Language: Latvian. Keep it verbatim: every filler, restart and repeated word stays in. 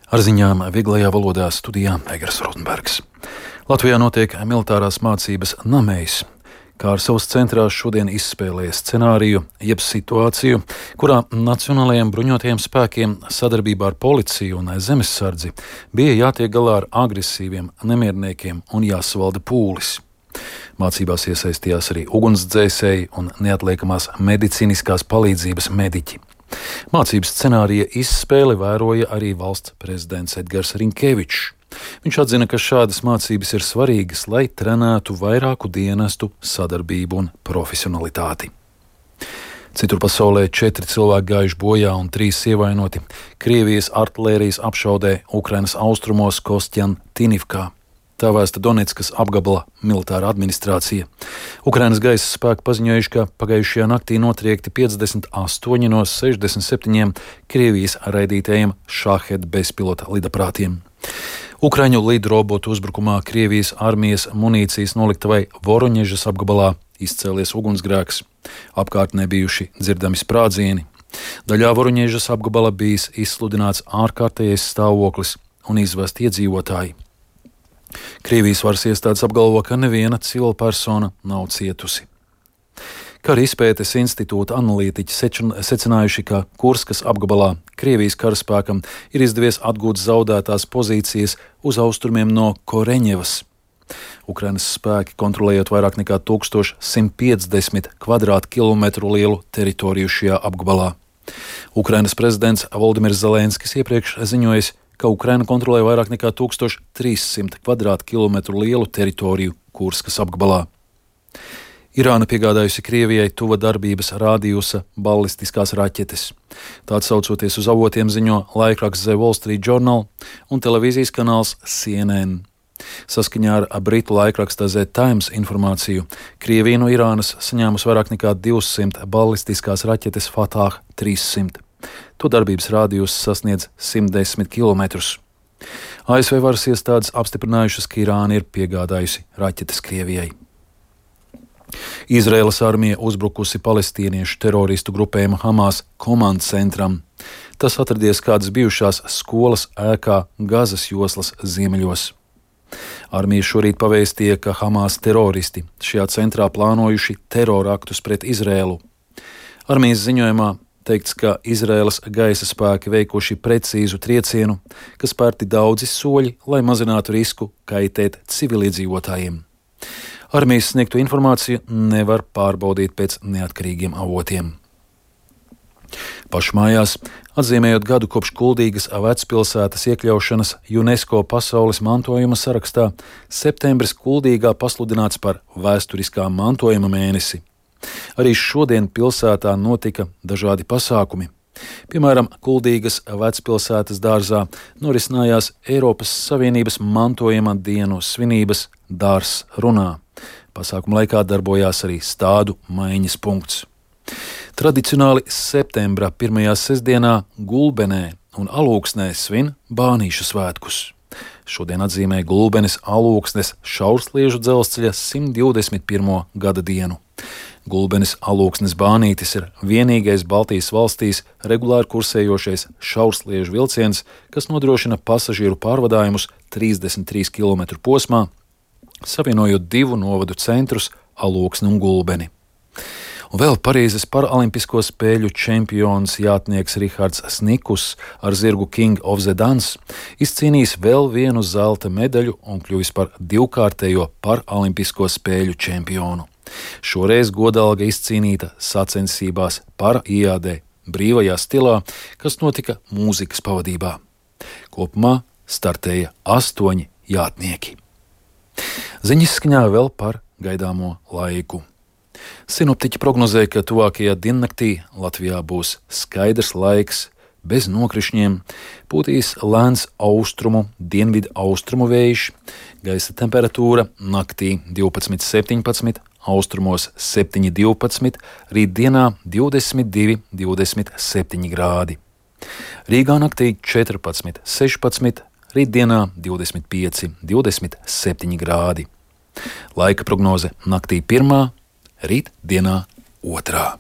Ar ziņām vieglajā valodā studijā Egers Rotenbergs. Latvijā notiek militārās mācības Namejs. Kārsavas centrā šodien izspēlēja scenāriju, jeb situāciju, kurā Nacionālajiem bruņotajiem spēkiem sadarbībā ar policiju un zemesardzi bija jātiek galā ar agresīviem nemierniekiem un jāsavalda pūlis. Mācībās iesaistījās arī ugunsdzēsēji un neatliekamās medicīniskās palīdzības mediķi. Mācības scenārija izspēli vēroja arī valsts prezidents Edgars Rinkevičs. Viņš atzina, ka šādas mācības ir svarīgas, lai trenētu vairāku dienestu sadarbību un profesionalitāti. Citur pasaulē četri cilvēki gājuši bojā un trīs ievainoti Krievijas artilērijas apšaudē Ukrainas austrumos Kostjantinivkā. Tā vēsta Donetskas apgabala militārā administrācija. Ukrainas gaisa spēki paziņojuši, ka pagājušajā naktī notriekti piecdesmit astoņi no sešdesmit septiņiem Krievijas raidītajiem Šahed bezpilota lidaprātiem. Ukraiņu lidrobotu uzbrukumā Krievijas armijas munīcijas noliktavai Voroņežas apgabalā izcēlies ugunsgrēks. Apkārtnē bijuši dzirdami sprādzieni. Daļā Voroņežas apgabala bijis izsludināts ārkārtējais stāvoklis un izvesti iedzīvotāji. Krievijas varas iestādes apgalvo, ka neviena civila persona nav cietusi. Kara izpētes institūta analītiķi secinājuši, ka Kurskas apgabalā Krievijas karaspēkam ir izdevies atgūt zaudētās pozīcijas uz austrumiem no Koreņevas. Ukrainas spēki kontrolējot vairāk nekā tūkstoš simt piecdesmit kvadrātkilometru lielu teritoriju šajā apgabalā. Ukrainas prezidents Voldimirs Zelenskis iepriekš ziņojis, ka Ukraina kontrolē vairāk nekā tūkstoš trīs simt kvadrātkilometru lielu teritoriju Kurskas apgabalā. Irāna piegādājusi Krievijai tuva darbības rādījusa ballistiskās raķetes. Tā atsaucoties uz avotiem ziņo laikraksts The Wall Street Journal un televīzijas kanāls C N N. Saskaņā ar britu laikraksta The Times informāciju, Krievija no Irānas saņēmusi vairāk nekā divsimt ballistiskās raķetes Fatah trīssimt. To darbības rādījus sasniedz simt desmit kilometrus. A S V varas iestādes apstiprinājušas, ka Irāna ir piegādājusi raķetes Krievijai. Izraēlas armija uzbrukusi palestīniešu teroristu grupējuma Hamas komandas centram. Tas atradies kādas bijušās skolas ēkā Gazas joslas ziemeļos. Armija šorīt pavēstīja, ka Hamas teroristi šajā centrā plānojuši teroraktus pret Izraēlu. Armijas ziņojumā teikts, ka Izraēlas gaisa spēki veikuši precīzu triecienu, kas spērti daudzi soļi, lai mazinātu risku kaitēt civiliedzīvotājiem. Armijas sniegto informāciju nevar pārbaudīt pēc neatkarīgiem avotiem. Pašmājās, atzīmējot gadu kopš Kuldīgas vecpilsētas iekļaušanas UNESCO pasaules mantojuma sarakstā, septembris Kuldīgā pasludināts par vēsturiskā mantojuma mēnesi. Arī šodien pilsētā notika dažādi pasākumi. Piemēram, Kuldīgas vecpilsētas dārzā norisinājās Eiropas Savienības mantojuma dienu svinības Dārzs runā. Pasākuma laikā darbojās arī stādu maiņas punkts. Tradicionāli septembra pirmajā sestdienā Gulbenē un Alūksnē svin Bānīšu svētkus. Šodien atzīmē Gulbenes Alūksnes šaursliežu dzelzceļa simt divdesmit pirmo gada dienu. Gulbenes Alūksnes Bānītis ir vienīgais Baltijas valstīs regulāri kursējošais šaursliežu vilciens, kas nodrošina pasažieru pārvadājumus trīsdesmit trīs kilometru posmā, savienojot divu novadu centrus Alūksni un Gulbeni. Un vēl Parīzes paralimpisko spēļu čempions jātnieks Rihards Snikus ar zirgu King of the Dance izcīnījis vēl vienu zelta medaļu un kļuvis par divkārtējo paralimpisko spēļu čempionu. Šoreiz godalga izcīnīta sacensībās para iādē brīvajā stilā, kas notika mūzikas pavadībā. Kopumā startēja astoņi jātnieki. Ziņas skaņā vēl par gaidāmo laiku. Sinoptiķi prognozē, ka tuvākajā diennaktī Latvijā būs skaidrs laiks, bez nokrišņiem, pūtīs lēns austrumu, dienvidu austrumu vējš, gaisa temperatūra naktī divpadsmit septiņpadsmit, austrumos septiņi divpadsmit, rītdienā divdesmit divi divdesmit septiņi grādi. Rīgā naktī četrpadsmit sešpadsmit, rītdienā divdesmit pieci divdesmit septiņi grādi. Laika prognoze naktī pirmā, rītdienā otrā.